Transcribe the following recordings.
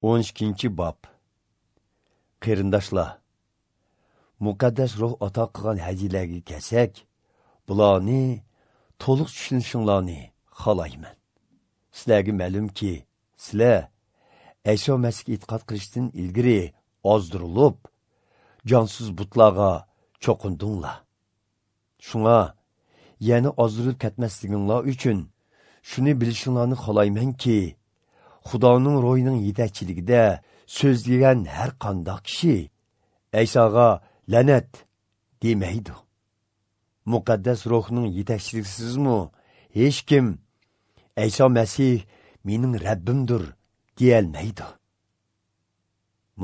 12. Bob. Qarindoshlar, muqaddas ruh ato qilgan hadiyalarga kelsak, bularni to'liq tushunishinglarni xohlayman. Sizlarga ma'lumki, sizlar Ayso Masihga e'tiqod qilishdan ilgari ozdirilib, jonsiz butlarga cho'qindinglar. Shunga yana ozdirilib ketmasliginglar uchun shuni bilishinglarni xohlaymanki, Xudoning ro'yining yetakchiligida so'zlagan har qanday kishi Aysoga la'nat demaydi. Muqaddas ruhning yetakchiligısizmi hech kim Ayso Masih mening Rabbimdir deyolmaydi.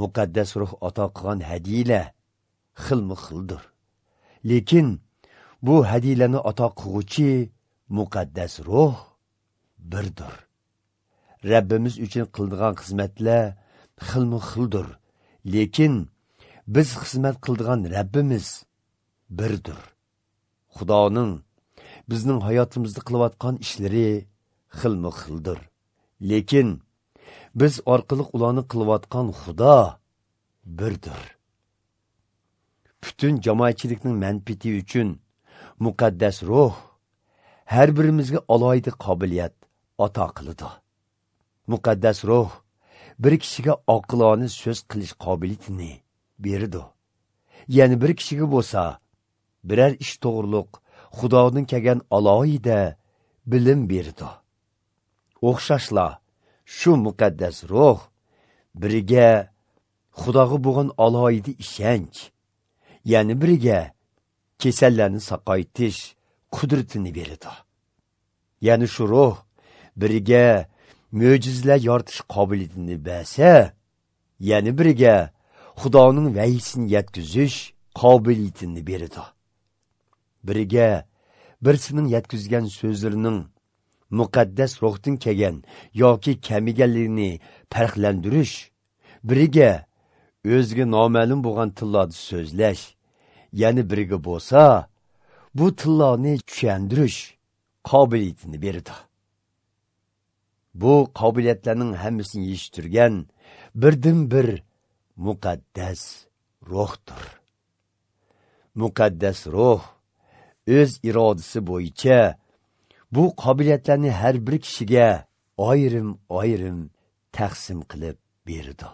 Muqaddas ruh ato qilgan hadiyalar xilma-xildir. Lekin bu hadiyalarni ato qilguvchi muqaddas ruh birdir. Rabbimiz uchun qildigan xizmatlar xilma-xildir, lekin biz xizmat qildigan Rabbimiz birdir. Xudoning bizning hayotimizda qilayotgan ishlari xilma-xildir, lekin biz orqali ularni qilayotgan Xudo birdir. Butun jamoatchilikning manfaati uchun muqaddas ruh har birimizga alohida qobiliyat ato qiladi. Muqaddas ruh bir kishiga oqilona so'z qilish qobiliyatini beradi. Ya'ni bir kishiga bo'lsa, biror ish to'g'riliq Xudodan kelgan alohida bilim beradi. O'xshashla shu muqaddas ruh biriga Xudoga bo'lgan alohida ishonch, ya'ni biriga kasallarni saqaytish qudratini beradi. Ya'ni shu ruh biriga mo'jizalar yoritish qobiliyatini bersa, ya'ni biriga Xudoning vahiysini yetkazish qobiliyatini beradi. Biriga birisining yetkazgan so'zlarining muqaddas ruhdan kelgan yoki kamiganligini farqlantirish, biriga o'ziga noma'lum bo'lgan tillarda so'zlash, ya'ni biriga bo'lsa bu tillarni tushuntirish qobiliyatini beradi. Bu qobiliyatlarning hammasini yetishtirgan birdan bir muqaddas ruhdir. Muqaddas ruh o'z irodasi bo'yicha bu qobiliyatlarni har bir kishiga ayrim-ayrim taqsim qilib berdi.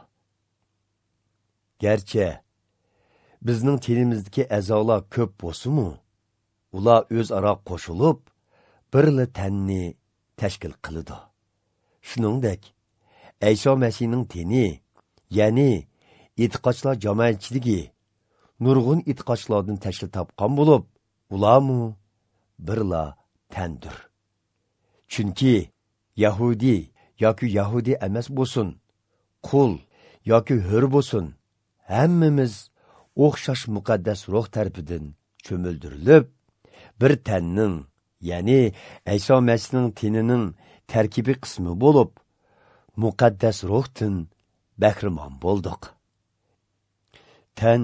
Garchi bizning tenimizdagi a'zolar ko'p bo'lsa-mu, ular o'zaro qo'shilib birla tanni tashkil qiladi. Shuningdek, Ayso Masihning teni, ya'ni e'tiqodchilar jamoatchiligi nurg'un e'tiqodchilardan tashkil topgan bo'lib, ularmu birla tandir. Chunki yahudi yoki yahudi emas bo'lsin, qul yoki hur bo'lsin, hammamiz o'xshash muqaddas ruh tarafidan cho'mildirilib, bir tanning, ya'ni Ayso Masihning tenining tarkibiy qismi bo'lib, muqaddas ruhdan bahramon bo'ldik. Tan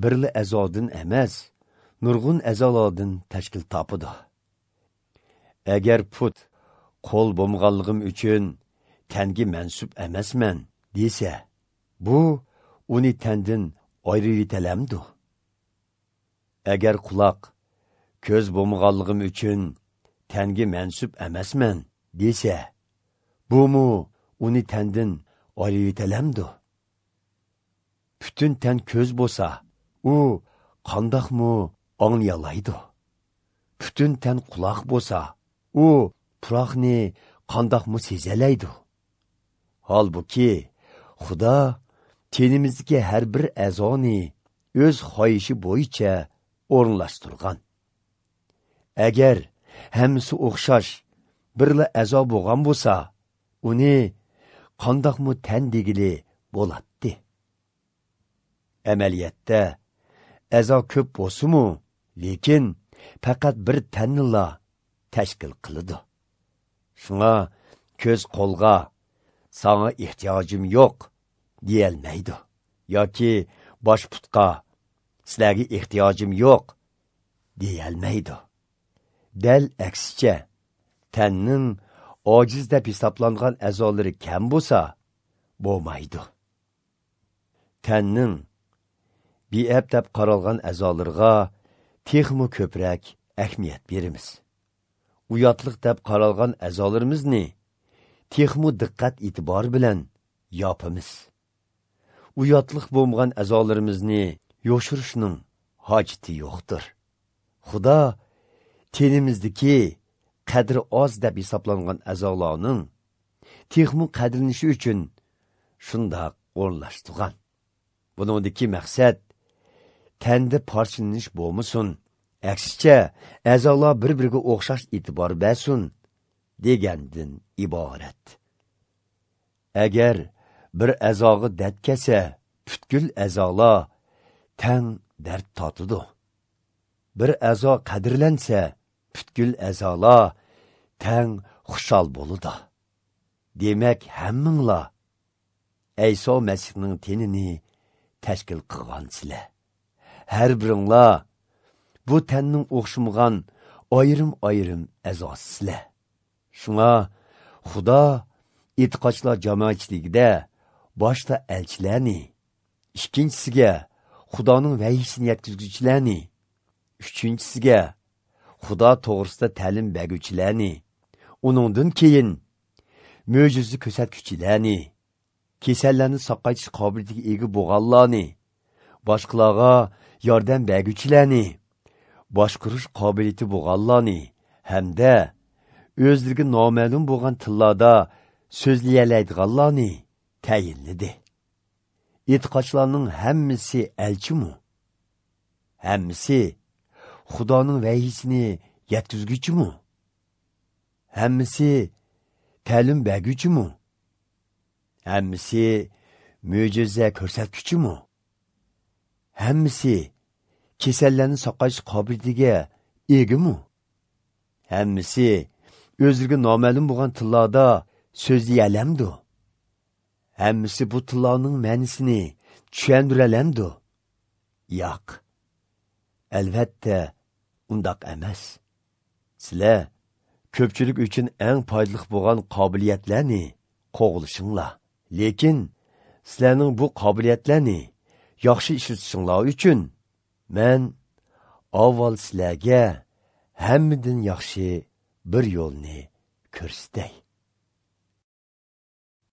birla a'zodan emas, nurg'un a'zolardan tashkil topadi. Agar put qo'l bo'lganligim uchun tanga mansub emasman desa, bu uni tandan ayirib. Agar quloq ko'z bo'lganligim uchun tanga mansub emasman desa, bumu uni tandan ayirib. Butun tan ko'z bo'lsa, u qandoqmi anglayalaydi? Butun tan quloq bo'lsa, u puroqni qandoqmi sezalaydi? Holbuki Xudo tenimizdagi har bir a'zoni o'z xohishi bo'yicha o'rinlashtirgan. Agar hammasi o'xshash birla a'zo bo'lgan bo'lsa, uni qandoqmi tan degili bo'ladi. Amaliyotda a'zo ko'p bo'lsa-mu, lekin faqat bir tannila tashkil qiladi. Shunga ko'z qo'lga "Sana ehtiyojim yo'q" deyolmaydi yoki bosh putqa "Sizlarga ehtiyojim yo'q" deyolmaydi. Dal aksicha, tanning ojiz deb hisoblangan a'zolari kam bo'lsa, bo'lmaydi. Tanning beab deb qaralgan a'zolarga texmi ko'proq ahamiyat beramiz. Uyatliq deb qaralgan a'zolarimizni texmi diqqat e'tibor bilan yopamiz. Uyatliq bo'lmagan a'zolarimizni yoshirishning hojati yo'qdir. Xudo tenimizdagi qadri oz deb hisoblangan a'zolarning texmi qadrlanishi uchun shundoq o'rinlashtirgan. Buningdagi maqsad tanda parchalanish bo'lmasin, aksicha a'zolar bir-biriga o'xshash e'tibor bersin degandan iborat. Agar bir a'zoga dard kelsa, butkul a'zolar tang dard totidi. Bir a'zo qadrlansa, butkul a'zolar tang xushal bo'ladi. Demak, hammanglar Ayso Masihning tenini tashkil qilgansizlar. Har biringlar bu tanning o'xshamagan ayrim-ayrim a'zosizlar. Shunga Xudo e'tiqodchilar jamoatchiligida boshda elchilarni, ikkinchisiga Xudoning vahiysini yetkazuvchilarni, uchinchisiga Xudo to'g'risida ta'lim berguvchilarni, uningdan keyin mo'jiza ko'rsatuvchilarni, kasallarni saqaytish qobiliyatiga ega bo'lganlarni, boshqalarga yordam berguvchilarni, boshqarish qobiliyati bo'lganlarni hamda o'zlariga noma'lum bo'lgan tillarda so'zlayalaydiganlarni tayinladi. E'tiqodchilarning hammasi elchimi? Hammasi Xudoning vahiysini yetkazuvchimi? Hammasi ta'lim berguvchimi? Hammasi mo'jiza ko'rsatuvchimi? Hammasi kasallarni saqlash qobiliyatiga egami? Hammasi o'zlariga noma'lum bo'lgan tillarda so'zlayalamdi? Hammasi bu tillarning ma'nisini tushuntiralamdi? Yo'q. Albatta undaq emas. Sizlar ko'pchilik uchun eng foydali bo'lgan qobiliyatlarni qo'g'lishinglar. Lekin sizlarning bu qobiliyatlarni yaxshi ishlatishinglar uchun men avval sizlarga hammadan yaxshi bir yo'lni ko'rsatay.